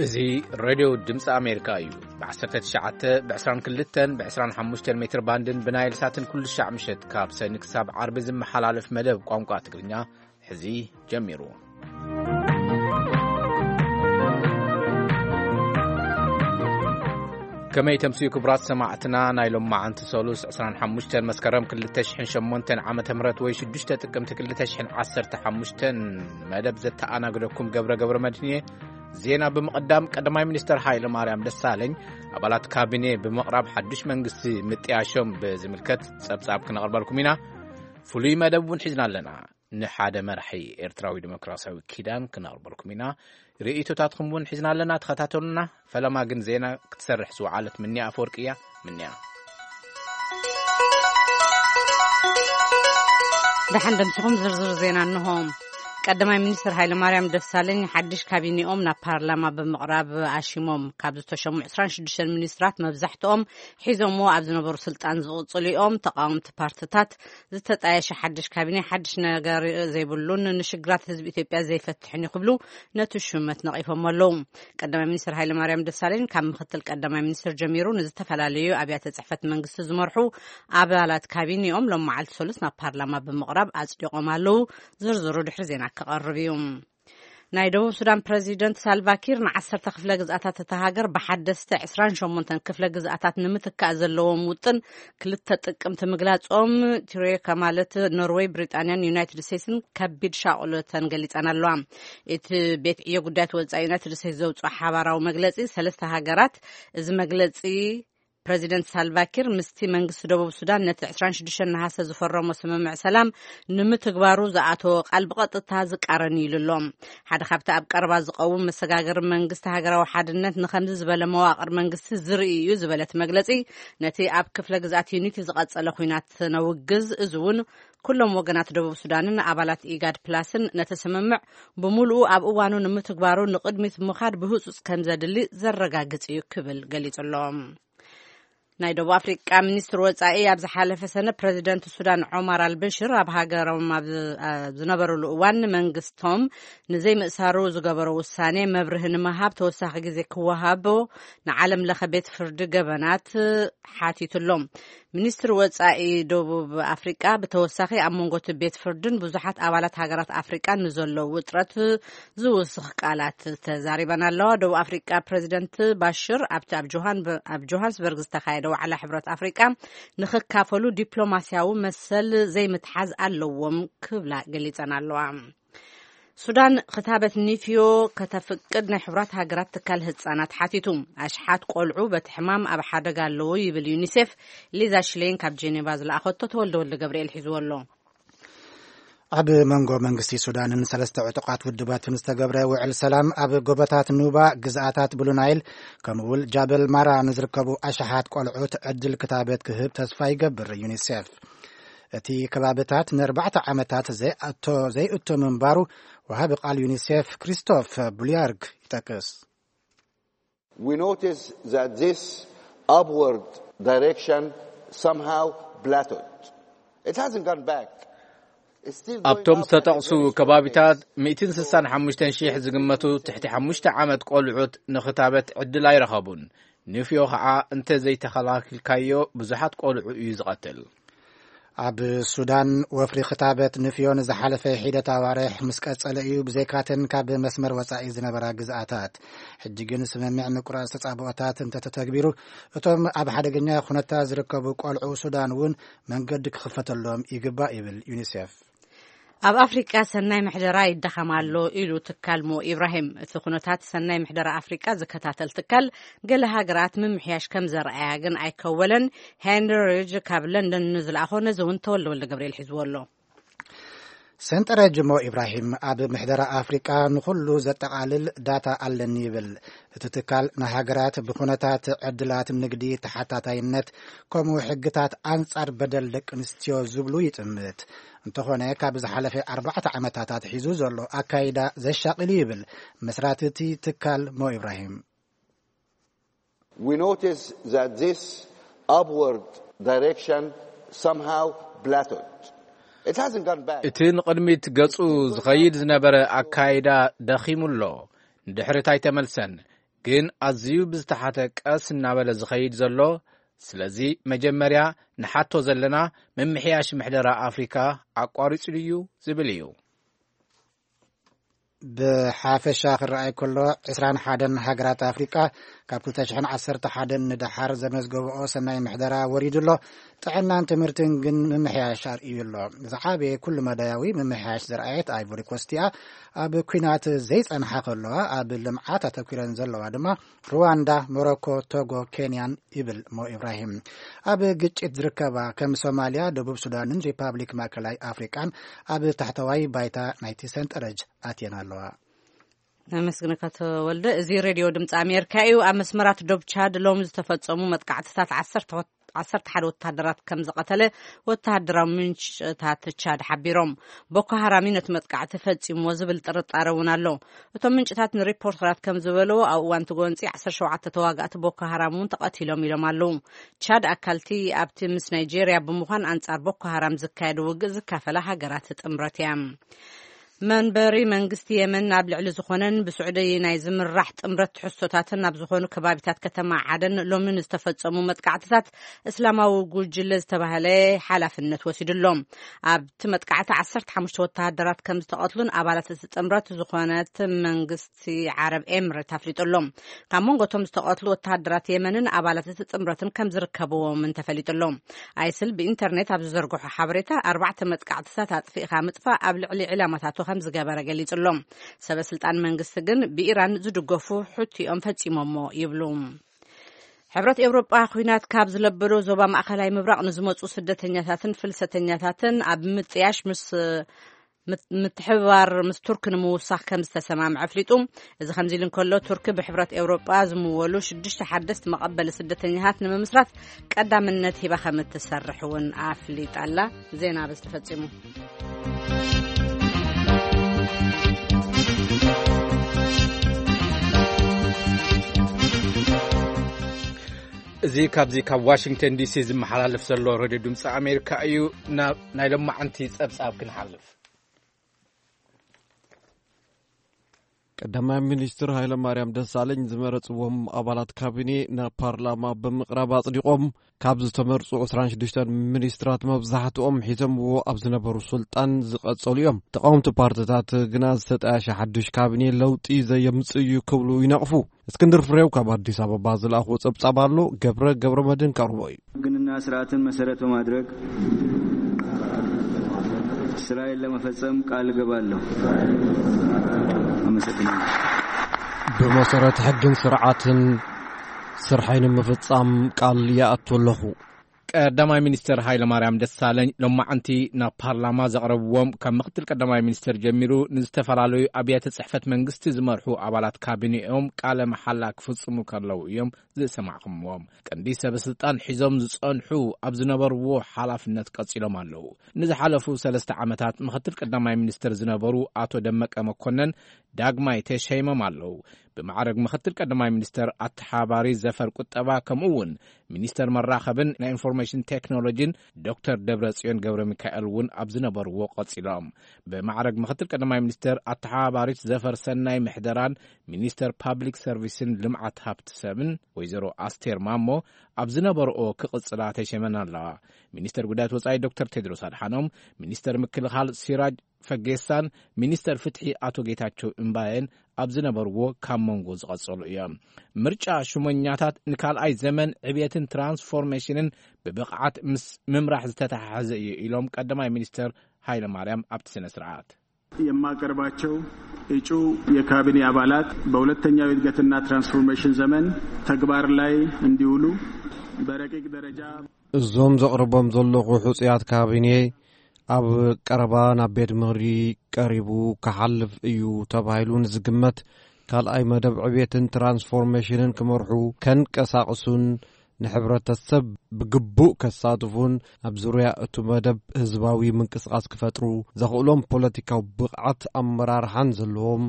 እዚ ሬድዮ ድምፂ ኣሜሪካ እዩ። ብ19፣ ብ22፣ ብ25 ሜትር ባንድን ብናይል ሳትን ኩሉ ሻዕ ምሸት ካብ ሰኒ ክሳብ ዓርቢ ዝመሓላለፍ መደብ ቋንቋ ትግርኛ ሕዚ ጀሚሩ። ከመይ ተምስዩ ክቡራት ሰማዕትና፣ ናይ ሎም መዓንቲ ሰሉስ 25 መስከረም 2008 ዓመተ ምህረት ወይ 6 ጥቅምቲ 2015 መደብ ዘተኣናግደኩም ገብረ ገብረ መድህን እየ። ዜና ብምቕዳም፣ ቀዳማይ ሚኒስተር ሃይለ ማርያም ደሳለኝ ኣባላት ካቢኔ ብምቕራብ ሓድሽ መንግስቲ ምጥያሾም ብዝምልከት ጸብጻብ ክነቕርበልኩም ኢና። ፍሉይ መደብ እውን ሒዝና ኣለና። ንሓደ መራሒ ኤርትራዊ ዲሞክራሲያዊ ኪዳን ክነቕርበልኩም ኢና። ርእይቶታትኩም እውን ሒዝና ኣለና። ተኸታተሉና። ፈለማ ግን ዜና ክትሰርሕ ዝወዓለት ምንያ ኣፈወርቂ እያ። ምንያ። ደሓን ደምስኹም ዝርዝር ዜና እንሆ። ቀዳማይ ሚኒስትር ሃይለማርያም ደሳለኝ ሓድሽ ካቢኔኦም ናብ ፓርላማ ብምቕራብ ኣሽሞም። ካብ ዝተሸሙ 26 ሚኒስትራት መብዛሕትኦም ሒዞምዎ ኣብ ዝነበሩ ስልጣን ዝቕጽሉ እዮም። ተቃወምቲ ፓርትታት ዝተጣየሸ ሓድሽ ካቢኔ ሓድሽ ነገር ዘይብሉን ንሽግራት ህዝቢ ኢትዮጵያ ዘይፈትሕን እዩ ክብሉ ነቲ ሹመት ነቒፎም ኣለዉ። ቀዳማይ ሚኒስትር ሃይለማርያም ደሳለኝ ካብ ምክትል ቀዳማይ ሚኒስትር ጀሚሩ ንዝተፈላለዩ ኣብያተ ጽሕፈት መንግስቲ ዝመርሑ ኣባላት ካቢኔኦም ሎም መዓልቲ ሰሉስ ናብ ፓርላማ ብምቕራብ ኣጽዲቖም ኣለዉ። ዝርዝሩ ድሕሪ ዜና ክቐርብ እዩ። ናይ ደቡብ ሱዳን ፕረዚደንት ሳልቫኪር ንዓሰርተ ክፍለ ግዝኣታት እታ ሃገር ብሓደስተ 28 ክፍለ ግዝኣታት ንምትካእ ዘለዎም ውጥን ክልተ ጥቅምቲ ምግላጾም፣ ትሮይካ ማለት ኖርወይ፣ ብሪጣንያን ዩናይትድ ስቴትስን ከቢድ ሻቕሎተን ገሊጸን ኣለዋ። እቲ ቤት ዕዮ ጉዳያት ወጻኢ ዩናይትድ ስቴትስ ዘውጽኦ ሓባራዊ መግለጺ፣ ሰለስተ ሃገራት፣ እዚ መግለጺ ፕረዚደንት ሳልቫኪር ምስቲ መንግስቲ ደቡብ ሱዳን ነቲ 26 ነሃሰ ዝፈረሞ ስምምዕ ሰላም ንምትግባሩ ዝኣተዎ ቃል ብቐጥታ ዝቃረን እዩ ኢሉ ኣሎ። ሓደ ካብቲ ኣብ ቀረባ ዝቐውም መሰጋገሪ መንግስቲ ሃገራዊ ሓድነት ንኸምዚ ዝበለ መዋቕር መንግስቲ ዝርኢ እዩ ዝበለት መግለጺ፣ ነቲ ኣብ ክፍለ ግዝኣት ዩኒቲ ዝቐጸለ ኲናት ነውግዝ፣ እዚ እውን ኩሎም ወገናት ደቡብ ሱዳንን ኣባላት ኢጋድ ፕላስን ነቲ ስምምዕ ብምሉኡ ኣብ እዋኑ ንምትግባሩ ንቕድሚት ምኻድ ብህጹጽ ከም ዘድሊ ዘረጋግጽ እዩ ክብል ገሊጹ ኣሎ። ናይ ደቡብ ኣፍሪቃ ሚኒስትር ወጻኢ ኣብ ዝሓለፈ ሰነ ፕረዚደንት ሱዳን ዖማር ኣልበሽር ኣብ ሃገሮም ኣብ ዝ-፣ ኣብ ዝነበሩሉ እዋን መንግስቶም ንዘይምእሳሩ ዝገበሮ ውሳኔ መብርሂ ንምሃብ ተወሳኺ ግዜ ክወሃቦ ንዓለም ለኸ ቤት ፍርዲ ገበናት ሓቲቱ ኣሎ። ሚኒስትሪ ወጻኢ ደቡብ ኣፍሪቃ ብተወሳኺ ኣብ መንጎ እቲ ቤት ፍርድን ብዙሓት ኣባላት ሃገራት ኣፍሪቃን ንዘሎ ውጥረት ዝውስኽ ቃላት ተዛሪበን ኣለዋ። ደቡብ ኣፍሪቃ ፕረዚደንት ባሽር ኣብቲ ኣብ ጆሃን-፣ ኣብ ጆሃንስበርግ ዝተኻየደ ዋዕላ ሕብረት ኣፍሪቃ ንኽካፈሉ ዲፕሎማስያዊ መሰል ዘይምትሓዝ ኣለዎም ክብላ ገሊጸን ኣለዋ። ሱዳን ክታበት ኒፍዮ ከተፍቅድ ናይ ሕቡራት ሃገራት ትካል ህጻናት ሓቲቱ። ኣሽሓት ቆልዑ በቲ ሕማም ኣብ ሓደጋ ኣለዉ ይብል ዩኒሴፍ። ሊዛ ሽሌን ካብ ጄኔቫ ዝለኣኸቶ ተወልደ ወልደ ገብርኤል ሒዝዎ ኣሎ። ኣብ መንጎ መንግስቲ ሱዳንን ሰለስተ ዕጡቓት ውድባትን ዝተገብረ ውዕል ሰላም ኣብ ጎቦታት ኑባ፣ ግዝኣታት ብሉ ናይል፣ ከምኡ እውን ጃበል ማራ ንዝርከቡ ኣሽሓት ቆልዑት ዕድል ክታበት ክህብ ተስፋ ይገብር ዩኒሴፍ። እቲ ከባብታት ንኣርባዕተ ዓመታት ዘይኣቶ-፣ ዘይእቶ ምንባሩ ወሃቢ ቃል ዩኒሴፍ ክሪስቶፍ ቡሊያርግ ይጠቅስ። We notice that this upward direction somehow plateaued. It hasn't gone back. It's still going ኣብቶም up at a ዝተጠቕሱ very ከባቢታት slow pace. 165,000 ዝግመቱ ትሕቲ ሓሙሽተ ዓመት ቆልዑት ንኽታበት ዕድል ኣይረኸቡን። ንፍዮ ኸዓ እንተ ዘይተኸላኪልካዮ ብዙሓት ቆልዑ እዩ ዝቐትል። ኣብ ሱዳን ወፍሪ ክታበት ንፍዮ ንዝሓለፈ ሒደት ኣዋርሕ ምስ ቀጸለ እዩ፣ ብዘይካተን ካብ መስመር ወጻኢ ዝነበራ ግዝኣታት። ሕጂ ግን ስምምዕ ምቁራጽ ተጻብኦታት እንተተተግቢሩ፣ እቶም ኣብ ሓደገኛ ኩነታት ዝርከቡ ቆልዑ ሱዳን እውን መንገዲ ክኽፈተሎም ይግባእ ይብል ዩኒሴፍ። ኣብ ኣፍሪቃ ሰናይ ምሕደራ ይዳኸም ኣሎ ኢሉ ትካል ሞ ኢብራሂም። እቲ ኩነታት ሰናይ ምሕደራ ኣፍሪቃ ዝከታተል ትካል፣ ገለ ሃገራት ምምሕያሽ ከም ዘርኣያ ግን ኣይከወለን። ሄንሪ ሪጅ ካብ ለንደን ንዝለኣኾ ነዚ እውን ተወልደ ወልደ ገብርኤል ሒዝዎ ኣሎ። ሰንጠረጅ ሞ ኢብራሂም ኣብ ምሕደራ ኣፍሪቃ ንኹሉ ዘጠቓልል ዳታ ኣለኒ ይብል። እቲ ትካል ንሃገራት ብኩነታት ዕድላት ንግዲ፣ ተሓታታይነት፣ ከምኡ ሕግታት ኣንጻር በደል ደቂ ኣንስትዮ ዝብሉ ይጥምት። እንተኾነ፣ ካብ ዝሓለፈ ኣርባዕተ ዓመታት ኣትሒዙ ዘሎ ኣካይዳ ዘሻቒል ይብል መስራቲ እቲ ትካል ሞ ኢብራሂም። We notice that this upward direction somehow plateaued. It hasn't gone back. እቲ ንቕድሚት ገጹ ዝኸይድ ዝነበረ ኣካይዳ ደኺሙ ኣሎ፣ ንድሕሪት ኣይተመልሰን። ግን ኣዝዩ ብዝተሓተ ቀስ እናበለ ዝኸይድ ዘሎ። ስለዚ መጀመርያ ንሓቶ ዘለና፣ ምምሕያሽ ምሕደራ ኣፍሪካ ኣቋሪጹ ድዩ ዝብል እዩ። ብሓፈሻ ክረኣይ ከሎ፣ ዕስራን ሓደን ሃገራት ኣፍሪቃ ካብ ክልተ ሽሕን ዓሰርተ ሓደን ንደሓር ዘመዝገብኦ ሰናይ ምሕደራ ወሪዱ ኣሎ። ጥዕናን ትምህርትን ግን ምምሕያሽ ኣርእዩ ኣሎ። ዝዓበየ ኩሉ መዳያዊ ምምሕያሽ ዝረኣየት ኣይቮሪ ኮስት እያ። ኣብ ኲናት ዘይጸንሓ ከለዋ፣ ኣብ ልምዓት ኣተኲረን ዘለዋ ድማ ሩዋንዳ፣ ሞሮኮ፣ ቶጎ፣ ኬንያን ይብል ሞ ኢብራሂም። ኣብ ግጭት ዝርከባ ከም ሶማልያ፣ ደቡብ ሱዳንን ሪፓብሊክ ማእከላይ ኣፍሪቃን ኣብ ታሕተዋይ ባይታ ናይቲ ሰንጠረጅ ኣትየን ኣለዋ። ነመስግነካ ተወልደ። እዚ ሬድዮ ድምፂ ኣሜሪካ እዩ። ኣብ መስመራት ዶብ ቻድ ሎም ዝተፈጸሙ መጥቃዕትታት ዓሰርተ ዓሰርተ ሓደ ወታደራት ከም ዝቐተለ ወታደራዊ ምንጭታት ቻድ ሓቢሮም። ቦኮ ሃራም እዩ ነቲ መጥቃዕቲ ፈጺምዎ ዝብል ጥርጣረ እውን ኣሎ። እቶም ምንጭታት ንሪፖርተራት ከም ዝበለዎ፣ ኣብ እዋን እቲ ጎንፂ ዓሰርተ ሸውዓተ ተዋጋእቲ ቦኮ ሃራም እውን ተቐቲሎም ኢሎም ኣለዉ። ቻድ ኣካልቲ ኣብቲ ምስ ናይጄርያ ብምዃን ኣንጻር ቦኮ ሃራም ዝካየድ ውግእ ዝካፈላ ሃገራት ጥምረት እያ። መንበሪ መንግስቲ የመን ኣብ ልዕሊ ዝኾነን ብስዑዲ ናይ ዝምራሕ ጥምረት ትሕዝቶታትን ኣብ ዝኾኑ ከባቢታት ከተማ ዓደን ሎሚ ንዝተፈጸሙ መጥቃዕትታት እስላማዊ ጉጅለ ዝተባህለ ሓላፍነት ወሲዱ ኣሎ። ኣብቲ መጥቃዕቲ ዓሰርተ ሓሙሽተ ወተሃደራት ከም ዝተቐትሉን ኣባላት እቲ ጥምረት ዝኾነት መንግስቲ ዓረብ ኤምሬት ኣፍሊጡ ኣሎ። ካብ መንጎ እቶም ዝተቐትሉ ወተሃደራት የመንን ኣባላት እቲ ጥምረትን ከም ዝርከብዎምን ተፈሊጡ ኣሎ። ኣይስል ብኢንተርኔት ኣብ ዝዘርግሖ ሓበሬታ፣ ኣርባዕተ መጥቃዕትታት ኣጥፊእካ ምጥፋእ ኣብ ልዕሊ ዕላማታቱ ከም ዝገበረ ገሊጹ ኣሎ። ሰበ ስልጣን መንግስቲ ግን ብኢራን ዝድገፉ ሑቲ እዮም ፈጺሞሞ ይብሉ። ሕብረት ኤውሮጳ ኲናት ካብ ዝለበዶ ዞባ ማእኸላይ ምብራቕ ንዝመጹ ስደተኛታትን ፍልሰተኛታትን ኣብ ምጥያሽ ምስ ምት-፣ ምትሕብባር ምስ ቱርክ ንምውሳኽ ከም ዝተሰማምዐ ኣፍሊጡ። እዚ ከምዚ ኢሉ እንከሎ፣ ቱርክ ብሕብረት ኤውሮጳ ዝምወሉ ሽዱሽተ ሓደስቲ መቐበሊ ስደተኛታት ንምምስራት ቀዳምነት ሂባ ከም እትሰርሕ እውን ኣፍሊጣ ኣላ። ዜና በዚ ተፈጺሙ። እዚ ካብዚ ካብ ዋሽንግተን ዲሲ ዝመሓላለፍ ዘሎ ሬድዮ ድምፂ ኣሜሪካ እዩ። ናብ ናይ ሎማዓንቲ ጸብጻብ ክንሓልፍ። ቀዳማይ ሚኒስትር ሃይለማርያም ደሳለኝ ዝመረጽዎም ኣባላት ካቢኔ ናብ ፓርላማ ብምቕራብ ኣጽዲቖም። ካብ ዝተመርጹ ዕስራን ሽዱሽተን ሚኒስትራት መብዛሕትኦም ሒዞምዎ ኣብ ዝነበሩ ስልጣን ዝቐጸሉ እዮም። ተቓወምቲ ፓርትታት ግና ዝተጣየሸ ሓዱሽ ካቢኔ ለውጢ ዘየምጽእ እዩ ክብሉ ይነቕፉ። እስክንድር ፍሬው ካብ ኣዲስ ኣበባ ዝለኣኽዎ ጸብጻብ ኣሎ። ገብረ ገብረ መድህን ከቕርቦ እዩ። ሕግንና ስርዓትን መሰረት በማድረግ ስራዬን ለመፈጸም ቃል እገባለሁ። አመሰግናለሁ። ብመሰረት ሕግን ስርዓትን ስርሐይ ንምፍጻም ቃል ይኣቱ ኣለኹ። ቀዳማይ ሚኒስትር ሃይለማርያም ደሳለኝ ሎማዓንቲ ናብ ፓርላማ ዘቕረብዎም ካብ ምክትል ቀዳማይ ሚኒስትር ጀሚሩ ንዝተፈላለዩ ኣብያተ ጽሕፈት መንግስቲ ዝመርሑ ኣባላት ካቢኔኦም ቃለ መሓላ ክፍጽሙ ከለዉ እዮም ዝሰማዕኹምዎም። ቀንዲ ሰበ ስልጣን ሒዞም ዝጸንሑ ኣብ ዝነበርዎ ሓላፍነት ቀጺሎም ኣለዉ። ንዝሓለፉ ሰለስተ ዓመታት ምክትል ቀዳማይ ሚኒስትር ዝነበሩ ኣቶ ደመቀ መኮነን ዳግማይ ተሸይሞም ኣለዉ። ብማዕረግ ምክትል ቀዳማይ ሚኒስተር ኣተሓባሪ ዘፈር ቁጠባ፣ ከምኡ እውን ሚኒስተር መራኸብን ናይ ኢንፎርሜሽን ቴክኖሎጂን ዶክተር ደብረጽዮን ገብረ ሚካኤል እውን ኣብ ዝነበርዎ ቀጺሎም። ብማዕረግ ምክትል ቀዳማይ ሚኒስተር ኣተሓባባሪት ዘፈር ሰናይ ምሕደራን ሚኒስተር ፓብሊክ ሰርቪስን ልምዓት ሃብቲ ሰብን ወይዘሮ ኣስቴር ማሞ ኣብ ዝነበርኦ ክቕጽላ ተሸይመን ኣለዋ። ሚኒስተር ጉዳያት ወጻኢ ዶክተር ቴድሮስ ኣድሓኖም፣ ሚኒስተር ምክልኻል ሲራጅ ፈጌሳን ሚኒስተር ፍትሒ ኣቶ ጌታቸው እምባየን ኣብ ዝነበርዎ ካብ መንጎ ዝቐጸሉ እዮም። ምርጫ ሹመኛታት ንካልኣይ ዘመን ዕብየትን ትራንስፎርሜሽንን ብብቕዓት ምስ ምምራሕ ዝተተሓሓዘ እዩ ኢሎም ቀዳማይ ሚኒስተር ሃይለ ማርያም ኣብቲ ስነ ስርዓት። የማቀርባቸው እጩ የካቢኔ አባላት በሁለተኛው የእድገትና ትራንስፎርሜሽን ዘመን ተግባር ላይ እንዲውሉ በረቂቅ ደረጃ እዞም ዘቕርቦም ዘለኹ ሕጹያት ካቢኔ ኣብ ቀረባ ናብ ቤት ምኽሪ ቀሪቡ ክሓልፍ እዩ ተባሂሉ ንዝግመት ካልኣይ መደብ ዕብየትን ትራንስፎርሜሽንን ክመርሑ፣ ከንቀሳቕሱን ንሕብረተሰብ ብግቡእ ከሳትፉን ኣብ ዙርያ እቱ መደብ ህዝባዊ ምንቅስቓስ ክፈጥሩ ዘኽእሎም ፖለቲካዊ ብቕዓት ኣመራርሓን ዘለዎም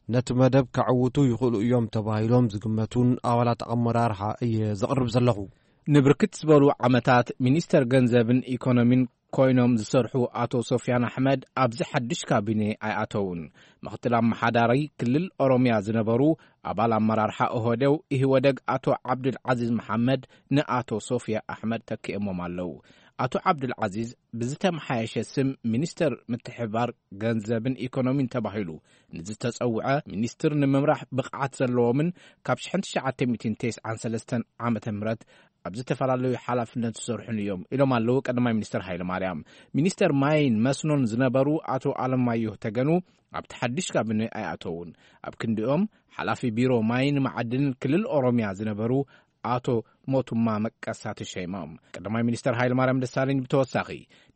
ነቲ መደብ ከዕውቱ ይኽእሉ እዮም ተባሂሎም ዝግመቱን ኣባላት ኣመራርሓ እየ ዘቕርብ ዘለኹ። ንብርክት ዝበሉ ዓመታት ሚኒስተር ገንዘብን ኢኮኖሚን ኮይኖም ዝሰርሑ ኣቶ ሶፍያን ኣሕመድ ኣብዚ ሓድሽ ካቢኔ ኣይኣተውን። ምኽትል ኣመሓዳሪ ክልል ኦሮምያ ዝነበሩ ኣባል ኣመራርሓ ኦህዴው ኢህወደግ ኣቶ ዓብዱል ዓዚዝ መሓመድ ንኣቶ ሶፍያ ኣሕመድ ተኪኦሞም ኣለዉ። ኣቶ ዓብዱል ዓዚዝ ብዝተመሓየሸ ስም ሚኒስተር ምትሕብባር ገንዘብን ኢኮኖሚን ተባሂሉ ንዝተጸውዐ ሚኒስትር ንምምራሕ ብቕዓት ዘለዎምን ካብ ሽሕን ትሽዓተ ሚእትን ተስዓን ሰለስተን ዓመተ ምህረት ኣብ ዝተፈላለዩ ሓላፍነት ዝሰርሑን እዮም ኢሎም ኣለዉ ቀዳማይ ሚኒስተር ሃይለ ማርያም። ሚኒስተር ማይን መስኖን ዝነበሩ ኣቶ ኣለማየሁ ተገኑ ኣብቲ ሓድሽ ካቢነ ኣይኣተውን። ኣብ ክንዲኦም ሓላፊ ቢሮ ማይን መዓድንን ክልል ኦሮምያ ዝነበሩ ኣቶ ሞቱማ መቀሳ ተሸይሞም። ቀዳማይ ሚኒስተር ሃይለ ማርያም ደሳለኝ ብተወሳኺ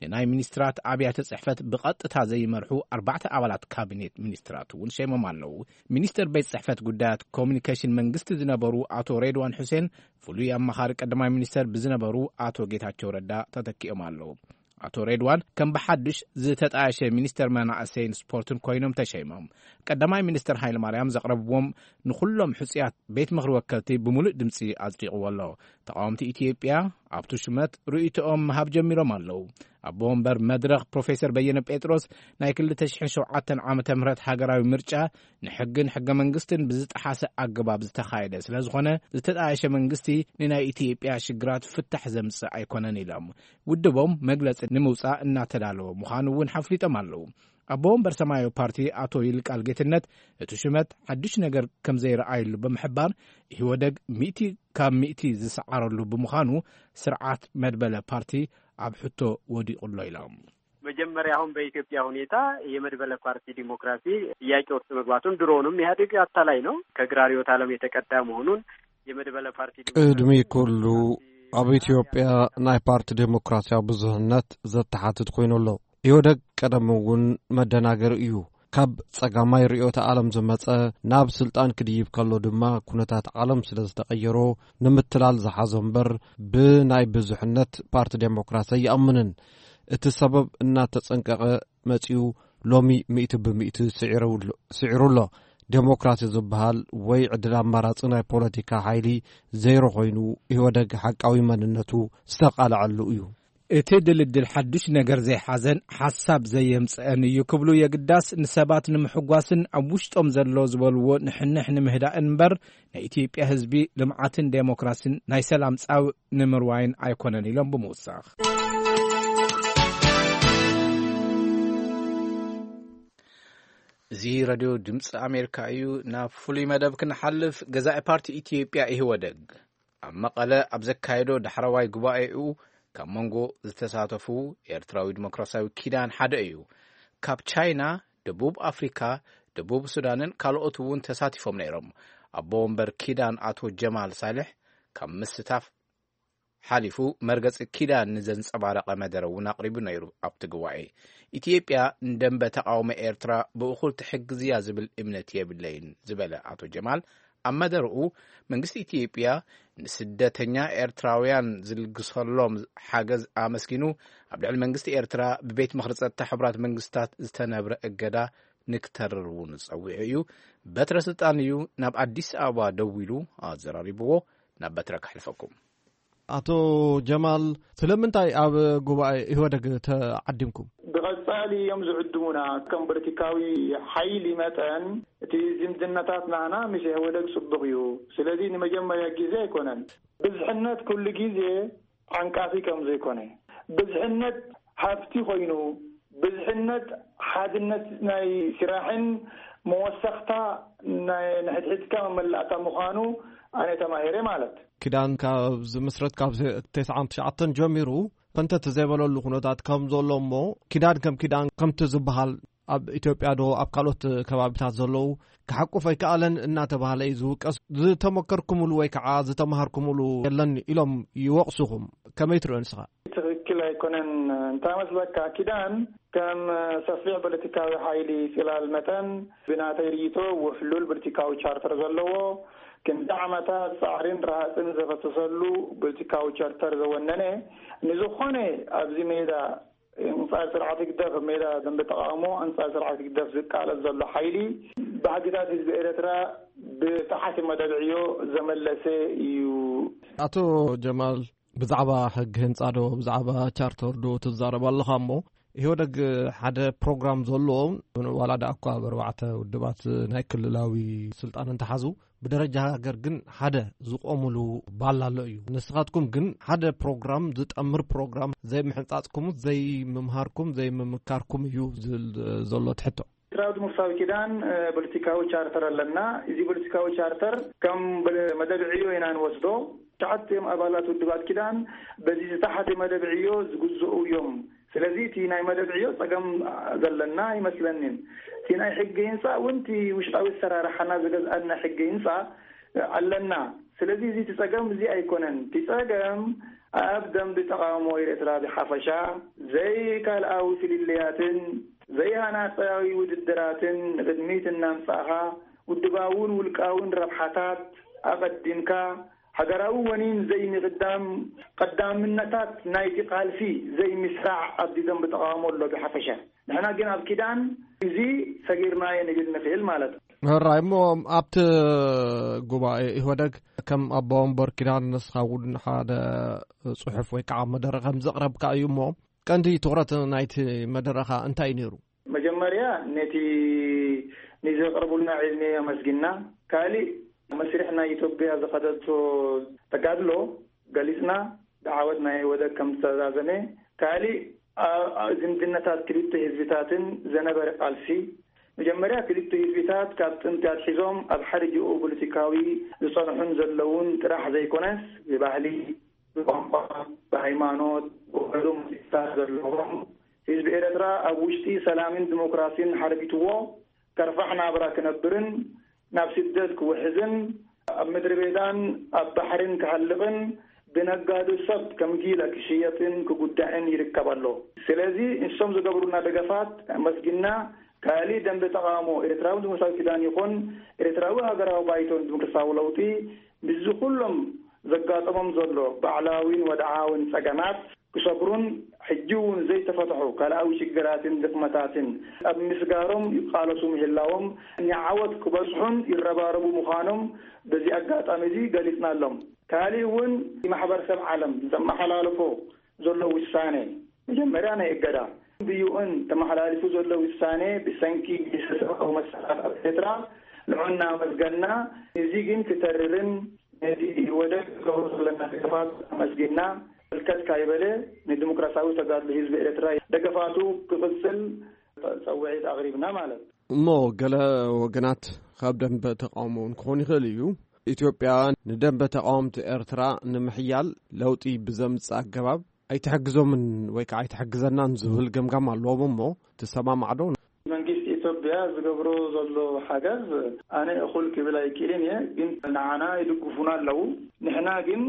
ንናይ ሚኒስትራት ኣብያተ ጽሕፈት ብቐጥታ ዘይመርሑ ኣርባዕተ ኣባላት ካቢኔት ሚኒስትራት እውን ሸይሞም ኣለዉ። ሚኒስተር ቤት ጽሕፈት ጉዳያት ኮሚኒኬሽን መንግስቲ ዝነበሩ ኣቶ ሬድዋን ሑሴን ፍሉይ ኣማኻሪ ቀዳማይ ሚኒስተር ብዝነበሩ ኣቶ ጌታቸው ረዳ ተተኪኦም ኣለዉ። ኣቶ ሬድዋን ከም ብሓድሽ ዝተጣየሸ ሚኒስተር መናእሰይን ስፖርትን ኮይኖም ተሸይሞም። ቀዳማይ ሚኒስተር ሃይለ ማርያም ዘቕረብዎም ንኹሎም ሕጹያት ቤት ምኽሪ ወከልቲ ብምሉእ ድምጺ ኣጽዲቕዎ ኣሎ። ተቓወምቲ ኢትዮጵያ ኣብቲ ሹመት ርእይቶኦም ምሃብ ጀሚሮም ኣለዉ። ኣቦ ወንበር መድረኽ ፕሮፌሰር በየነ ጴጥሮስ ናይ ክልተ ሽሕን ሸውዓተን ዓመተ ምህረት ሃገራዊ ምርጫ ንሕግን ሕገ መንግስትን ብዝጠሓሰ ኣገባብ ዝተኻየደ ስለ ዝኾነ ዝተጣየሸ መንግስቲ ንናይ ኢትዮጵያ ሽግራት ፍታሕ ዘምጽእ ኣይኮነን ኢሎም። ውድቦም መግለጺ ንምውጻእ እናተዳለወ ምዃኑ እውን ሓፍሊጦም ኣለዉ። ኣቦ ወንበር ሰማያዊ ፓርቲ ኣቶ ይልቃል ጌትነት እቲ ሹመት ሓድሽ ነገር ከም ዘይረኣየሉ ብምሕባር ኢህወደግ ሚእቲ ካብ ሚእቲ ዝሰዓረሉ ብምዃኑ ስርዓት መድበለ ፓርቲ ኣብ ሕቶ ወዲቑ ኣሎ ኢሎም። መጀመሪያ አሁን በኢትዮጵያ ሁኔታ የመድበለ ፓርቲ ዲሞክራሲ ጥያቄ ውስጥ መግባቱን ድሮውንም ኢህአዴግ አታላይ ነው፣ ከግራ ርዕዮተ ዓለም የተቀዳ መሆኑን የመድበለ ፓርቲ ዲሞክራሲ ቅድሚ ኩሉ ኣብ ኢትዮጵያ ናይ ፓርቲ ዴሞክራሲያዊ ብዙህነት ዘተሓትት ኮይኑ ኣሎ። ኢህወደግ ቀደም እውን መደናገሪ እዩ። ካብ ጸጋማይ ርእዮተ ዓለም ዝመጸ ናብ ስልጣን ክድይብ ከሎ ድማ ኩነታት ዓለም ስለ ዝተቐየሮ ንምትላል ዝሓዞ እምበር ብናይ ብዙሕነት ፓርቲ ዴሞክራሲ ኣይኣምንን። እቲ ሰበብ እናተጸንቀቐ መጺኡ ሎሚ ሚእቲ ብሚእቲ ስዒሩ ኣሎ፣ ስዒሩ ኣሎ። ዴሞክራሲ ዝበሃል ወይ ዕድል ኣማራጺ ናይ ፖለቲካ ሓይሊ ዘይሮ ኮይኑ ኢህወደግ ሓቃዊ መንነቱ ዝተቓልዐሉ እዩ። እቲ ድልድል ሓዱሽ ነገር ዘይሓዘን ሓሳብ ዘየምጽአን እዩ ክብሉ የግዳስ ንሰባት ንምሕጓስን ኣብ ውሽጦም ዘሎ ዝበልዎ ንሕንሕ ንምህዳእን እምበር ንኢትዮጵያ ህዝቢ ልምዓትን ዴሞክራሲን ናይ ሰላም ጻውእ ንምርዋይን ኣይኮነን ኢሎም ብምውሳኽ። እዚ ረድዮ ድምፂ ኣሜሪካ እዩ። ናብ ፍሉይ መደብ ክንሓልፍ፣ ገዛኢ ፓርቲ ኢትዮጵያ ኢህወደግ ኣብ መቐለ ኣብ ዘካየዶ ዳሕረዋይ ጉባኤኡ ካብ መንጎ ዝተሳተፉ ኤርትራዊ ዲሞክራሲያዊ ኪዳን ሓደ እዩ። ካብ ቻይና፣ ደቡብ ኣፍሪካ፣ ደቡብ ሱዳንን ካልኦት እውን ተሳቲፎም ነይሮም። ኣቦ ወንበር ኪዳን ኣቶ ጀማል ሳልሕ ካብ ምስታፍ ሓሊፉ መርገጺ ኪዳን ንዘንጸባረቐ መደረ እውን ኣቕሪቡ ነይሩ። ኣብቲ ጉባኤ ኢትዮጵያ ንደንበ ተቓውሞ ኤርትራ ብእኹል ትሕግዝያ ዝብል እምነት የብለይን ዝበለ ኣቶ ጀማል ኣብ መደረኡ መንግስቲ ኢትዮጵያ ንስደተኛ ኤርትራውያን ዝልግሰሎም ሓገዝ ኣመስጊኑ ኣብ ልዕሊ መንግስቲ ኤርትራ ብቤት ምኽሪ ጸጥታ ሕቡራት መንግስታት ዝተነብረ እገዳ ንክተርር እውን ጸዊዑ እዩ። በትረ ስልጣን እዩ ናብ ኣዲስ ኣበባ ደዊሉ ኣዘራሪብዎ። ናብ በትረ ከሕልፈኩም። ኣቶ ጀማል፣ ስለምንታይ ኣብ ጉባኤ ኢህወደግ ተዓዲምኩም? ብቐጻሊ እዮም ዝዕድሙና። ከም ፖለቲካዊ ሓይሊ መጠን እቲ ዝምድናታት ናህና ምስ ኢህወደግ ጽቡቕ እዩ። ስለዚ ንመጀመርያ ግዜ ኣይኮነን። ብዝሕነት ኩሉ ግዜ ዓንቃፊ ከም ዘይኮነ፣ ብዝሕነት ሃብቲ ኮይኑ፣ ብዝሕነት ሓድነት ናይ ስራሕን መወሰኽታ ናይ ንሕድሕድካ መመላእታ ምዃኑ ኣነ ተማሂረ ማለት። ኪዳን ካብ ዝምስረት ካብ ተስዓን ትሽዓተን ጀሚሩ ፈንተት ዘይበለሉ ኩነታት ከም ዘሎ እሞ ኪዳን ከም ኪዳን ከምቲ ዝበሃል ኣብ ኢትዮጵያ ዶ ኣብ ካልኦት ከባቢታት ዘለዉ ክሓቁፍ ኣይከኣለን እናተባህለ እዩ ዝውቀስ። ዝተመከርኩምሉ ወይ ከዓ ዝተምሃርኩምሉ የለን ኢሎም ይወቕሱኹም። ከመይ ትርእዮ ንስኻ? ትኽክል ኣይኮነን። እንታይ መስለካ፣ ኪዳን ከም ሰፊሕ ፖለቲካዊ ሓይሊ ጽላል መጠን ብናተይ ርእይቶ ውሕሉል ፖለቲካዊ ቻርተር ዘለዎ፣ ክንዲ ዓመታት ጻዕሪን ረሃጽን ዘፈሰሰሉ ፖለቲካዊ ቻርተር ዘወነነ፣ ንዝኾነ ኣብዚ ሜዳ ኣንጻር ስርዓት ህግደፍ፣ ኣብ ሜዳ ደንበ ተቓውሞ ኣንጻር ስርዓት ህግደፍ ዝቃለስ ዘሎ ሓይሊ ባህግታት ህዝቢ ኤርትራ ብጠሓሲ መደብዕዮ ዘመለሰ እዩ። ኣቶ ጀማል፣ ብዛዕባ ሕጊ ህንጻ ዶ፣ ብዛዕባ ቻርተር ዶ ትዛረብ ኣለኻ እሞ፣ ኢህወደግ ሓደ ፕሮግራም ዘለዎ፣ ዋላ ደኣ እኳ ኣብ ኣርባዕተ ውድባት ናይ ክልላዊ ስልጣን እንተሓዙ፣ ብደረጃ ሃገር ግን ሓደ ዝቆምሉ ባላ ኣሎ እዩ። ንስኻትኩም ግን ሓደ ፕሮግራም፣ ዝጠምር ፕሮግራም ዘይምሕንጻጽኩም፣ ዘይምምሃርኩም፣ ዘይምምካርኩም እዩ ዝብል ዘሎ ትሕቶ። ኤርትራዊ ዲሞክራሲያዊ ኪዳን ፖለቲካዊ ቻርተር ኣለና። እዚ ፖለቲካዊ ቻርተር ከም መደብ ዕዮ ኢና ንወስዶ። ትሽዓተ እዮም ኣባላት ውድባት ኪዳን፣ በዚ ዝተሓተ መደብ ዕዮ ዝግዝኡ እዮም። ስለዚ እቲ ናይ መደብ ዕዮ ጸገም ዘለና ኣይመስለንን። እቲ ናይ ሕጊ ህንጻ እውን እቲ ውሽጣዊ ኣሰራርሓና ዝገዝኣና ሕጊ ህንጻ ኣለና። ስለዚ እዚ እቲ ጸገም እዚ ኣይኮነን። እቲ ጸገም ኣብ ደንቢ ተቓውሞ ኤርትራ ብሓፈሻ ዘይካልኣዊ ፍልልያትን ዘይሃናጻዊ ውድድራትን ንቕድሚት እናምጻእኻ፣ ውድባውን ውልቃውን ረብሓታት ኣቐዲምካ፣ ሃገራዊ ወኒን ዘይምቕዳም፣ ቀዳምነታት ናይቲ ቃልሲ ዘይምስራዕ ኣብዚ ደንቢ ተቓውሞ ኣሎ ብሓፈሻ። ንሕና ግን ኣብ ኪዳን እዚ ሰጊርናዮ ንብል ንኽእል ማለት እዩ። ሕራይ እሞ፣ ኣብቲ ጉባኤ ኢህወደግ ከም ኣቦ ወንበር ኪዳን ንስኻ እውን ሓደ ጽሑፍ ወይ ከዓ መደረ ከም ዘቕረብካ እዩ እሞ፣ ቀንዲ ትኹረት ናይቲ መደረኻ እንታይ ነይሩ? መጀመርያ ነቲ ንዘቕረቡልና ዕድሜ ኣመስጊና፣ ካሊእ መስርሕ ናይ ኢትዮጵያ ዝኸደቶ ተጋድሎ ገሊጽና፣ ብዓወት ናይ ኢህወደግ ከም ዝተዛዘመ፣ ካሊእ ኣ-፣ ኣ-፣ ዝምድናታት ክልተ ህዝብታትን ዘነበረ ቃልሲ፣ መጀመርያ ክልተ ህዝብታት ካብ ጥንቲ ኣትሒዞም ኣብ ሓደ ጂኦ ፖለቲካዊ ዝጸንሑን ዘለውን ጥራሕ ዘይኮነስ፣ ብባህሊ፣ ብቋንቋ፣ ብሃይማኖት፣ ብውዕሉ ምስጢርታት ዘለዎም፣ ህዝቢ ኤርትራ ኣብ ውሽጢ ሰላምን ዲሞክራሲን ሓርቢትዎ ከርፋሕ ናብራ ክነብርን ናብ ስደት ክውሕዝን ኣብ ምድሪ ቤዳን ኣብ ባሕርን ክሃልቕን ብነጋዶ ሰብ ከም ጊለ ክሽየጥን ክጉዳዕን ይርከብ ኣሎ። ስለዚ ንሶም ዝገብሩና ደገፋት ኣመስጊና፣ ካልእ ደንበ ተቓውሞ ኤርትራዊ ዲሞክራሲያዊ ኪዳን ይኹን ኤርትራዊ ሃገራዊ ባይቶን ዲሞክራሲያዊ ለውጢ ምስዚ ኩሎም ዘጋጠሞም ዘሎ ባዕላዊን ወድዓዊን ጸገማት ክሰግሩን ሕጂ እውን ዘይተፈትሑ ካልኣዊ ሽግራትን ድኽመታትን ኣብ ምስጋሮም ይቃለሱ ምህላዎም ንዓወት ክበጽሑን ይረባረቡ ምዃኖም በዚ ኣጋጣሚ እዚ ገሊጽናሎም። ካልእ እውን ማሕበረሰብ ዓለም ዘመሓላልፎ ዘሎ ውሳኔ፣ መጀመርያ ናይ እገዳ፣ ብዩኤን ተመሓላሊፉ ዘሎ ውሳኔ ብሰንኪ ግህሰት ሰብኣዊ መሰላት ኣብ ኤርትራ ንዑ እናመስገና፣ እዚ ግን ክተርርን ነቲ ወደብ ክገብሮ ዘለና ደገፋት ኣመስጊና፣ ህልከት ካይበለ ንዲሞክራሲያዊ ተጋድሎ ህዝቢ ኤርትራ ደገፋቱ ክቕጽል ጸውዒት ኣቕሪብና ማለት። እሞ ገለ ወገናት ካብ ደንበ ተቃውሞ እውን ክኾን ይኽእል እዩ። ኢትዮጵያ ንደንበ ተቃወምቲ ኤርትራ ንምሕያል ለውጢ ብዘምጽእ ኣገባብ ኣይትሕግዞምን ወይ ከዓ ኣይትሕግዘናን ዝብል ገምጋም ኣለዎም እሞ ትሰማማዕ ዶ? መንግስቲ ኢትዮጵያ ዝገብሮ ዘሎ ሓገዝ ኣነ እኹል ክብል ኣይክእልን እየ፣ ግን ንዓና ይድግፉና ኣለዉ። ንሕና ግን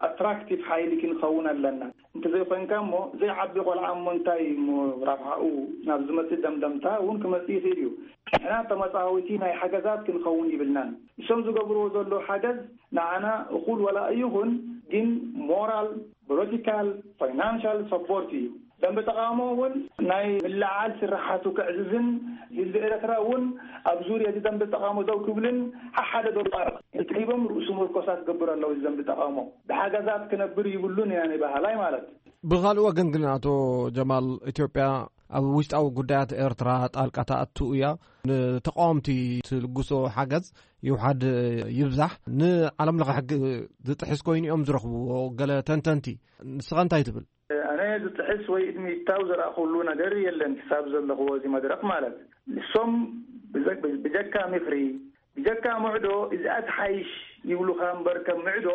ኣትራክቲቭ ሓይሊ ክንኸውን ኣለና። እንተዘይኮይንካ እሞ ዘይዓቢ ቆልዓ እሞ እንታይ እሞ ረብሓኡ ናብ ዝመጽእ ደምደምታ እውን ክመጽእ ይኽእል እዩ። ንሕና ተመጻወቲ ናይ ሓገዛት ክንኸውን ይብልናን። እሶም ዝገብርዎ ዘሎ ሓገዝ ንዓና እኹል ወላ ይኹን፣ ግን ሞራል፣ ፖለቲካል፣ ፋይናንሻል ሰፖርት እዩ። ደንበ ተቃውሞ እውን ናይ ምልዓል ስራሓቱ ክዕዝዝን ህዝቢ ኤርትራ እውን ኣብ ዙርያ እዚ ደንበ ተቃውሞ ደው ክብልን ሓሓደ ደው እንተሂቦም ርእሱ ምርኮሳ ክገብር ኣለዎ። እዚ ደንበ ተቃውሞ ብሓገዛት ክነብር ይብሉን ኢና ንበሃላይ ማለት። ብኻልእ ወገን ግን ኣቶ ጀማል፣ ኢትዮጵያ ኣብ ውሽጣዊ ጉዳያት ኤርትራ ጣልቃ ተኣቱ እያ። ንተቃወምቲ ትልግሶ ሓገዝ ይውሓድ ይብዛሕ ንዓለም ለኸ ሕጊ ዝጥሕስ ኮይኑ እዮም ዝረኽብዎ ገለ ተንተንቲ። ንስኻ እንታይ ትብል? ኣነ ዝጥሕስ ወይ እድሚታው ዘረኣኹሉ ነገር የለን ክሳብ ዘለኽዎ እዚ መድረኽ ማለት። ንሶም ብዘ-፣ ብጀካ ምኽሪ፣ ብጀካ ምዕዶ እዚኣ ትሓይሽ ይብሉኻ እምበር ከም ምዕዶ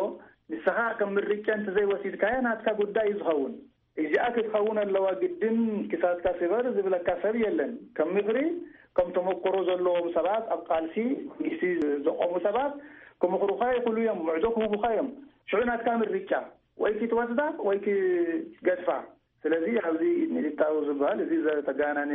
ንስኻ ከም ምርጫ እንተዘይወሲድካያ ናትካ ጉዳይ እዩ ዝኸውን። እዚኣ ክትኸውን ኣለዋ ግድን ክሳድካ ስበር ዝብለካ ሰብ የለን። ከም ምኽሪ ከም ተመክሮ ዘለዎም ሰባት ኣብ ቃልሲ መንግስቲ ዘቆሙ ሰባት ክምኽሩኻ ይኽእሉ እዮም፣ ምዕዶ ክህቡኻ እዮም። ሽዑ ናትካ ምርጫ ወይ ክትወስዳ ወይ ክትገድፋ። ስለዚ ኣብዚ ሚሊታዊ ዝበሃል እዚ ዘተጋነነ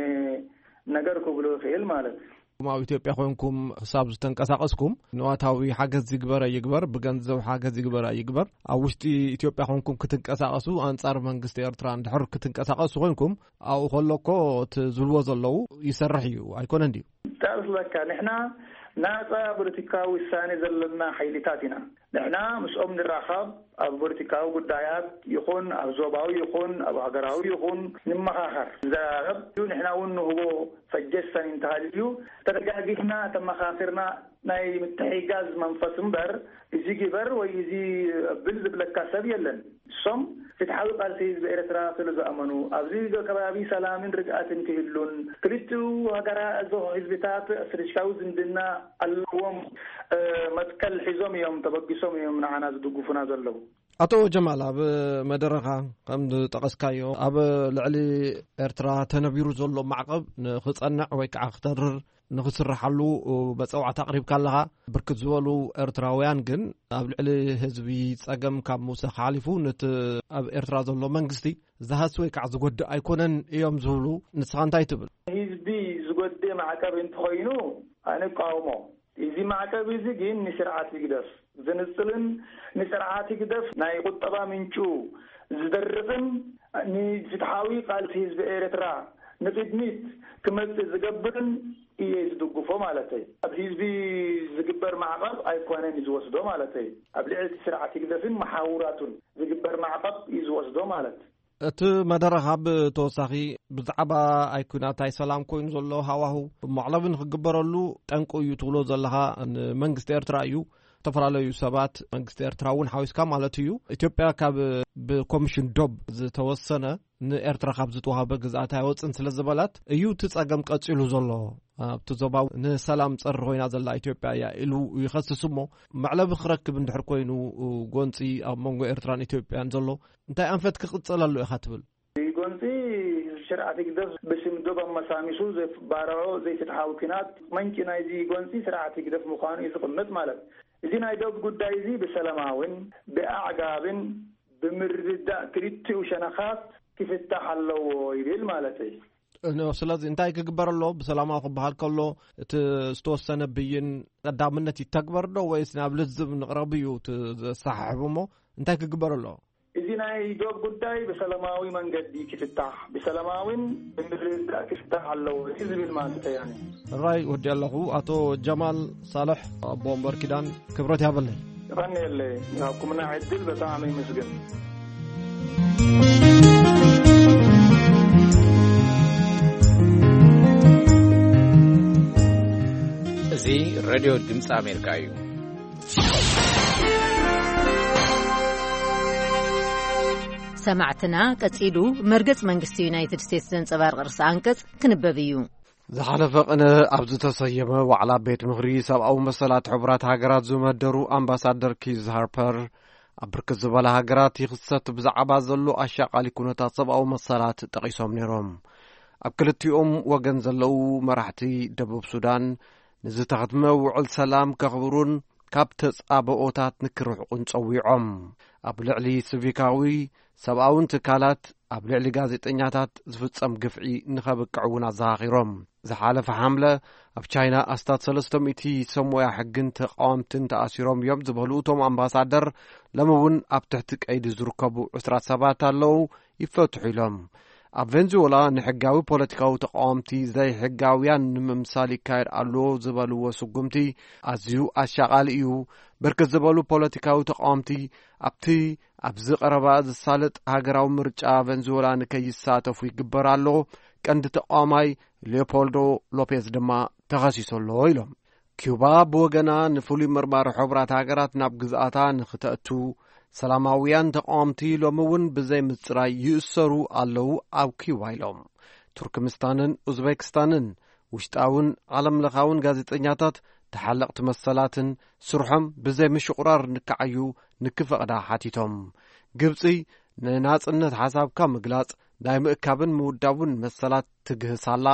ነገር ክብሎ ይኽእል ማለት እዩ። ኣብ ኢትዮጵያ ኮንኩም ክሳብ ዝተንቀሳቐስኩም ንዋታዊ ሓገዝ ይግበረ ይግበር፣ ብገንዘብ ሓገዝ ይግበረ ይግበር፣ ኣብ ውሽጢ ኢትዮጵያ ኮንኩም ክትንቀሳቐሱ ኣንጻር መንግስቲ ኤርትራ እንድሕር ክትንቀሳቐሱ ኮንኩም ኣብኡ ከሎ እኮ እቲ ዝብልዎ ዘለዉ ይሰርሕ እዩ ኣይኮነን ድዩ? ዳርስ ለካ ንሕና ናጻ ፖለቲካዊ ውሳኔ ዘለና ሓይልታት ኢና። ንሕና ምስኦም ንራኸብ፣ ኣብ ፖለቲካዊ ጉዳያት ይኹን ኣብ ዞባዊ ይኹን ኣብ ሃገራዊ ይኹን ንመኻኸር፣ ንዘራረብ። ንሕና እውን ንህቦ ሰጀሰን እንተሃልዩ ተደጋጊፍና ተመኻኺርና ናይ ምትሕጋዝ መንፈስ እምበር፣ እዚ ግበር ወይ እዚ ብል ዝብለካ ሰብ የለን። እሶም ፍትሓዊ ቃልሲ ህዝቢ ኤርትራ ስለ ዝኣመኑ፣ ኣብዚ ከባቢ ሰላምን ርግኣትን ክህሉን ክልቲኡ ሃገራ፣ እዚ ህዝብታት ስትራቴጂካዊ ዝምድና ኣለዎም። መትከል ሒዞም እዮም፣ ተበጊሶም እዮም ንዓና ዝድግፉና ዘለዉ። ኣቶ ጀማል፣ ኣብ መደረኻ ከም ዝጠቐስካዮ፣ ኣብ ልዕሊ ኤርትራ ተነቢሩ ዘሎ ማዕቐብ ንኽጸንዕ ወይ ከዓ ክተርር ንኽስርሓሉ መጸዋዕታ ኣቕሪብካ ኣለኻ። ብርክት ዝበሉ ኤርትራውያን ግን ኣብ ልዕሊ ህዝቢ ጸገም ካብ ምውሳኽ ሓሊፉ፣ ነቲ ኣብ ኤርትራ ዘሎ መንግስቲ ዝሃሲ ወይ ከዓ ዝጎድእ ኣይኮነን እዮም ዝብሉ። ንስኻ እንታይ ትብል? ህዝቢ ዝጎድእ ማዕቀብ እንተኾይኑ፣ ኣነ እቃወሞ። እዚ ማዕቀብ እዚ ግን ንስርዓት ህግደፍ ዝንጽልን ንስርዓት ህግደፍ ናይ ቁጠባ ምንጩ ዝደርቕን ንፍትሓዊ ቃልሲ ህዝቢ ኤርትራ ንቅድሚት ክመጽእ ዝገብርን እየ ዝድግፎ ማለተይ። ኣብ ህዝቢ ዝግበር ማዕቐብ ኣይኮነን ዝወስዶ ማለተይ። ኣብ ልዕሊ እቲ ስርዓት ህግደፍን መሓውራቱን ዝግበር ማዕቐብ እዩ ዝወስዶ ማለት። እቲ መደረኻ ብተወሳኺ ብዛዕባ ኣይ ኩናት ኣይ ሰላም ኮይኑ ዘሎ ሃዋሁ ማዕለቢ ንክግበረሉ ጠንቁ እዩ ትብሎ ዘለኻ ንመንግስቲ ኤርትራ እዩ። ዝተፈላለዩ ሰባት መንግስቲ ኤርትራ እውን ሓዊስካ ማለት እዩ። ኢትዮጵያ ካብ ብኮሚሽን ዶብ ዝተወሰነ ንኤርትራ ካብ ዝተዋህበ ግዝኣት ኣይወፅን ስለ ዝበላት እዩ እቲ ጸገም ቀጺሉ ዘሎ። ኣብቲ ዞባ ንሰላም ጸሪ ኮይና ዘላ ኢትዮጵያ እያ ኢሉ ይኸስስ እሞ መዕለቢ ክረክብ እንድሕር ኮይኑ ጎንፂ ኣብ መንጎ ኤርትራን ኢትዮጵያን ዘሎ እንታይ ኣንፈት ክቕጽለሉ ኢኻ ትብል? ጎንፂ ስርዓት ህግደፍ ብስም ዶብ ኣመሳሚሱ ዘባርዖ ዘይፍትሓዊ ኲናት መንጭ ናይዚ ጎንፂ ስርዓት ህግደፍ ምዃኑ እዩ ዝቕምጥ ማለት። እዚ ናይ ዶብ ጉዳይ እዚ ብሰላማዊን ብኣዕጋብን ብምርድዳእ ክልቲኡ ሸነኻት ክፍታሕ ኣለዎ ይብል ማለት እዩ። እኖ፣ ስለዚ እንታይ ክግበር ኣሎ? ብሰላማዊ ክበሃል ከሎ እቲ ዝተወሰነ ብይን ቀዳምነት ይተግበር ዶ ወይስ ናብ ልዝብ ንቕረብ እዩ እቲ ዘሰሓሕብ እሞ እንታይ ክግበር ኣሎ? እዚ ናይ ዶብ ጉዳይ ብሰላማዊ መንገዲ ክፍታሕ፣ ብሰላማዊን ብምርድዳእ ክፍታሕ ኣለዎ እዩ ዝብል ማለት እያ። ራይ ወዲ ኣለኹ። ኣቶ ጀማል ሳልሕ ኣቦ ወንበር ኪዳን ክብረት ያበለይ። ቀንየለይ፣ ንሃብኩምና ዕድል በጣም ይመስገን። እዚ ሬድዮ ድምፂ ኣሜሪካ እዩ። ሰማዕትና፣ ቀጺሉ መርገጽ መንግስቲ ዩናይትድ ስቴትስ ዘንጸባርቕ ርእሰ ኣንቀጽ ክንበብ እዩ። ዝሓለፈ ቅነ ኣብ ዝተሰየመ ዋዕላ ቤት ምኽሪ ሰብኣዊ መሰላት ሕቡራት ሃገራት ዝመደሩ ኣምባሳደር ኪዝ ሃርፐር፣ ኣብ ብርክት ዝበላ ሃገራት ይኽሰት ብዛዕባ ዘሎ ኣሻቓሊ ኩነታት ሰብኣዊ መሰላት ጠቒሶም ነይሮም። ኣብ ክልቲኦም ወገን ዘለዉ መራሕቲ ደቡብ ሱዳን ንዝተኸትመ ውዕል ሰላም ከኽብሩን ካብ ተጻብኦታት ንክርሕቁን ጸዊዖም። ኣብ ልዕሊ ሲቪካዊ ሰብኣውን ትካላት ኣብ ልዕሊ ጋዜጠኛታት ዝፍጸም ግፍዒ ንኸብቅዕ እውን ኣዘኻኺሮም። ዝሓለፈ ሓምለ ኣብ ቻይና ኣስታት ሰለስተ ሚእቲ ሰብ ሞያ ሕግን ተቃወምትን ተኣሲሮም እዮም ዝበሉ እቶም ኣምባሳደር፣ ሎሚ እውን ኣብ ትሕቲ ቀይዲ ዝርከቡ ዕስራ ሰባት ኣለዉ ይፈትሑ ኢሎም። ኣብ ቬንዙዌላ ንሕጋዊ ፖለቲካዊ ተቃወምቲ ዘይሕጋውያን ንምምሳል ይካየድ ኣሎ ዝበልዎ ስጉምቲ ኣዝዩ ኣሻቓሊ እዩ። ብርክት ዝበሉ ፖለቲካዊ ተቃወምቲ ኣብቲ ኣብዚ ቀረባ ዝሳለጥ ሃገራዊ ምርጫ ቬንዙዌላ ንከይሳተፉ ይግበር ኣሎ። ቀንዲ ተቃዋማይ ሊዮፖልዶ ሎፔዝ ድማ ተኸሲሱ ኣሎ ኢሎም። ኪዩባ ብወገና ንፍሉይ መርማሪ ሕቡራት ሃገራት ናብ ግዝኣታ ንክተእቱ ሰላማውያን ተቃወምቲ ሎሚ እውን ብዘይ ምጽራይ ይእሰሩ ኣለዉ ኣብ ኪዩባ ኢሎም። ቱርክምስታንን ኡዝቤክስታንን ውሽጣውን ዓለምለኻውን ጋዜጠኛታት ተሓለቕቲ መሰላትን ስርሖም ብዘይ ምሽቑራር ንክዓዩ ንክፈቕዳ ሓቲቶም። ግብጺ ንናጽነት ሓሳብካ ምግላጽ ናይ ምእካብን ምውዳቡን መሰላት ትግህስ ኣላ።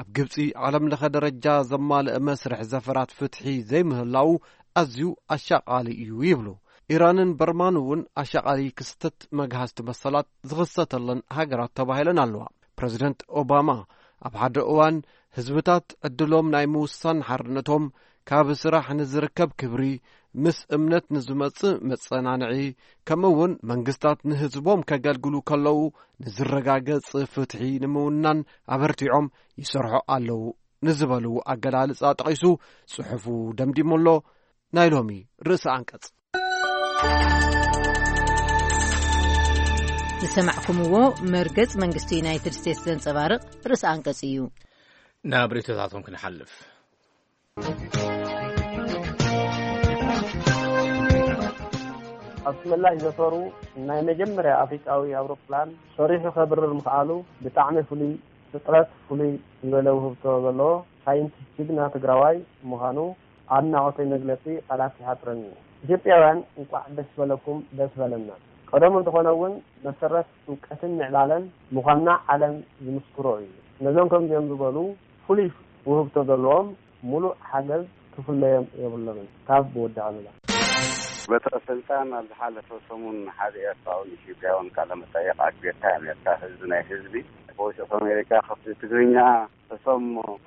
ኣብ ግብጺ ዓለምለኸ ደረጃ ዘማልአ መስርሕ ዘፈራት ፍትሒ ዘይምህላዉ ኣዝዩ ኣሻቓሊ እዩ ይብሉ። ኢራንን በርማን እውን ኣሻቓሊ ክስተት መግሃስቲ መሰላት ዝኽሰተለን ሃገራት ተባሂለን ኣለዋ። ፕረዚደንት ኦባማ ኣብ ሓደ እዋን ህዝብታት ዕድሎም ናይ ምውሳን ሓርነቶም፣ ካብ ስራሕ ንዝርከብ ክብሪ፣ ምስ እምነት ንዝመጽእ መጸናንዒ፣ ከምኡ እውን መንግስታት ንህዝቦም ከገልግሉ ከለዉ ንዝረጋገጽ ፍትሒ ንምውናን ኣበርቲዖም ይሰርሑ ኣለዉ ንዝበሉ ኣገላልጻ ጠቒሱ ጽሑፉ ደምዲሙ ኣሎ። ናይ ሎሚ ርእሰ ኣንቀጽ። ዝሰማዕኩምዎ መርገጽ መንግስቲ ዩናይትድ ስቴትስ ዘንጸባርቕ ርእሰ ኣንቀጽ እዩ። ናብ ርእይቶታቶም ክንሓልፍ። ኣብ ምላሽ ዘፈሩ ናይ መጀመርያ ኣፍሪቃዊ ኣውሮፕላን ሰሪሑ ከብርር ምኽኣሉ ብጣዕሚ ፍሉይ ፍጥረት፣ ፍሉይ ዝበለ ውህብቶ ዘለዎ ሳይንቲስት ጅግና ትግራዋይ ምዃኑ ኣድናቖተይ መግለጺ ቃላት ይሓጽረኒ። ኢትዮጵያውያን እንቋዕ ደስ በለኩም ደስ በለና። ቀደሙ እንተኾነ እውን መሰረት እውቀትን ምዕባለን ምዃንና ዓለም ዝምስክሮ እዩ። ነዞም ከምዚኦም ዝበሉ ፍሉይ ውህብቶ ዘለዎም ሙሉእ ሓገዝ ክፍለዮም የብሎምን። ካብ ወዲ ኣሉላ። በትረ ስልጣን ኣብ ዝሓለፈ ሰሙን ሓደ ኤርትራውን ኢትዮጵያውን ቃለ መጠየቕ ኣግቢርካ ነርካ። ህዝቢ ናይ ህዝቢ ቮይስ ኦፍ ኣሜሪካ ክፍሊ ትግርኛ እቶም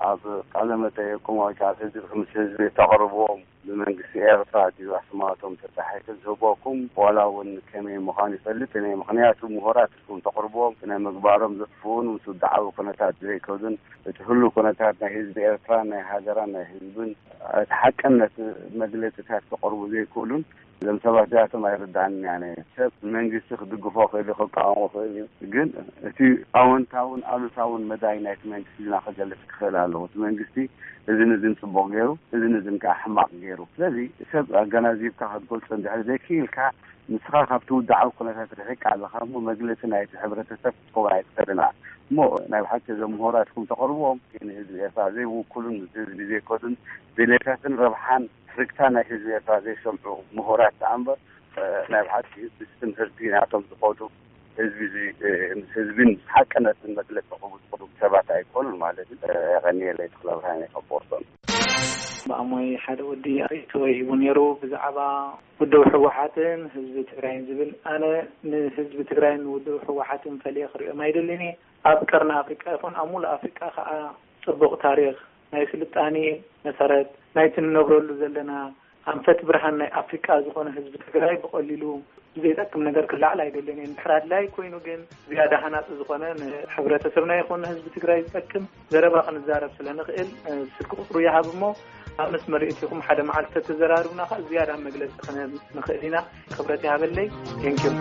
ኣብ ቃለ መጠየቕኩም ወይ ከዓ ህዝቢ ምስ ህዝቢ ተቕርብዎም ብመንግስቲ ኤርትራ ድዩ ኣስማቶም ተጻሒፉ ዝህበኩም ዋላ እውን ከመይ ምዃኑ ይፈልጥ እኔ። ምኽንያቱ ምሁራት ኢልኩም ተቕርብዎም ስነ ምግባሮም ዘጥፍኡን ምስ ውድዓዊ ኩነታት ዘይከዱን እቲ ህሉ ኩነታት ናይ ህዝቢ ኤርትራ ናይ ሃገራን ናይ ህዝብን እቲ ሓቅነት መግለጽታት ከቕርቡ ዘይክእሉን እዞም ሰባት እዚኣቶም ኣይርድኣንን እያ። ኣነ ሰብ መንግስቲ ክድግፎ ክእል እዩ፣ ክቃወሞ ክእል እዩ። ግን እቲ ኣወንታውን ኣሉታውን መዳይ ናይቲ መንግስቲ ዜና ክገልጽ ክኽእል ኣለዎ። እቲ መንግስቲ እዝን እዝን ጽቡቕ ገይሩ፣ እዝን እዝን ከዓ ሕማቕ ገይሩ። ስለዚ ሰብ ኣገናዚብካ ክትገልጾ እንድሕር ዘይክኢልካ፣ ንስኻ ካብቲ ውድዓዊ ኩነታት ርሒቕካ ኣለኻ እሞ መግለጺ ናይቲ ሕብረተሰብ ክትከውን ኣይትኽእልን ኢኻ። እሞ ናይ ብሓቂ እዞም ምሁራትኩም ተቕርብዎም ንህዝቢ ኤርትራ ዘይውክሉን ምስ ህዝቢ ዘይከዱን ድሌታትን ረብሓን ትርግታ ናይ ህዝቢ ኤርትራ ዘይሰምዑ ምሁራት ደኣ እምበር፣ እ፣ ናይ ብሓቂ ምስ ትምህርቲ ናቶም ዝኸዱ ህዝቢ እዚ፣ እ፣ ምስ ህዝብን ምስ ሓቅነትን መግለጺ ክህቡ ዝኽእሉ ሰባት ኣይኮኑን ማለት እዩ። እ፣ የቐንየለይ ተኽለ ብርሃን የቐቦርሶን። ብኣሞይ ሓደ ወዲ ርእይቶ ሂቡ ነይሩ ብዛዕባ ውድብ ህወሓትን ህዝቢ ትግራይን ዝብል። ኣነ ንህዝቢ ትግራይን ውድብ ህወሓትን ፈልየ ክርእዮም ኣይደልን እየ። ኣብ ቀርኒ ኣፍሪቃ ይኹን ኣብ ሙሉእ ኣፍሪቃ ከዓ ጽቡቕ ታሪኽ ናይ ስልጣኔ መሰረት ናይቲ ንነብረሉ ዘለና ኣንፈት ብርሃን ናይ ኣፍሪቃ ዝኾነ ህዝቢ ትግራይ ብቐሊሉ ብዘይጠቅም ነገር ክላዕል ኣይደልን እየ። እንድሕር ኣድላይ ኮይኑ ግን ዝያዳ ሃናጺ ዝኾነ ንሕብረተሰብና ይኹን ንህዝቢ ትግራይ ዝጠቅም ዘረባ ክንዛረብ ስለ ንኽእል፣ እ፣ ስልኪ ቁጽሩ ይሃብ እሞ ኣብ መስመር እቲኹም ሓደ መዓልቲ ተተዘራርብና ኸኣ ዝያዳ መግለጺ ክንህብ ንኽእል ኢና። ክብረት ይሃበለይ። ቴንኪዩ።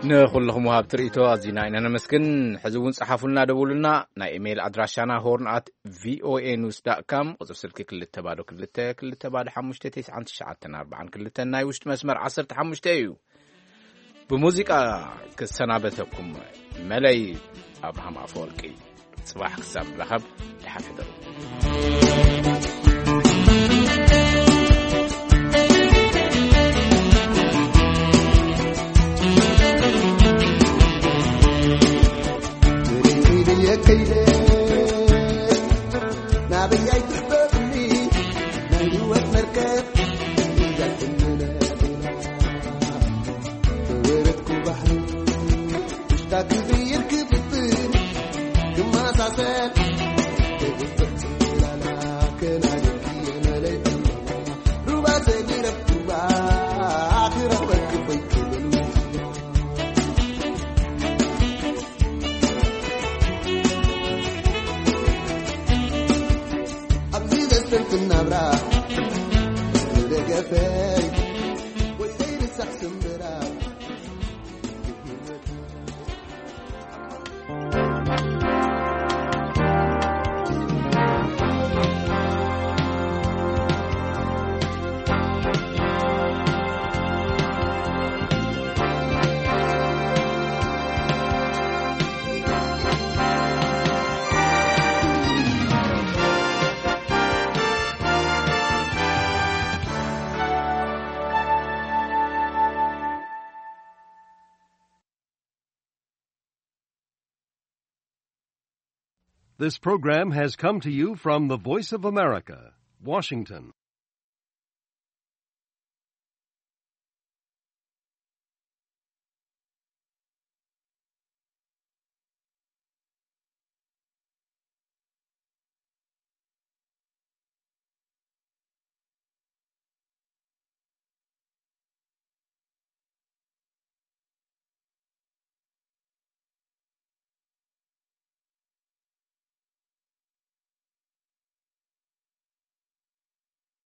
ንኹልኹም ወሃብቲ ርእይቶ ኣዚና ኢና ነመስግን። ሕዚ እውን ጸሓፉልና፣ ደውሉልና። ናይ ኢሜይል ኣድራሻና ሆርን ኣት ቪኦኤ ኒውስ ዳት ካም፣ ቁጽሪ ስልኪ ክልተ ባዶ ክልተ፣ ክልተ ባዶ ሓሙሽተ፣ ተስዓን ትሽዓተን ኣርባዓን ክልተን፣ ናይ ውሽጢ መስመር ዓሰርተ ሓሙሽተ እዩ። ብሙዚቃ ክሰናበተኩም መለይ ኣብርሃም ኣፈወርቂ። ጽባሕ ክሳብ ንራኸብ፣ ደሓን ሕደሩ። ናበይ ኣይትሕበሩኒ ናይ ህይወት መርከብ እያ ትምለስ። ተወረድኩ ባሕሪ ውሽጣ ክቕይር ክፍትን ክመሳሰል ተግብር ትላላ ከናድኪ መለይ ሩባ ተግረብ ሩባ ክረኽበኪ ኮይክብል ኣብዚ ዘሰንትን ናብራ ደገፈይ ወይ ዘይርሳዕ ስምብራ። This program has come to you from the Voice of America, Washington.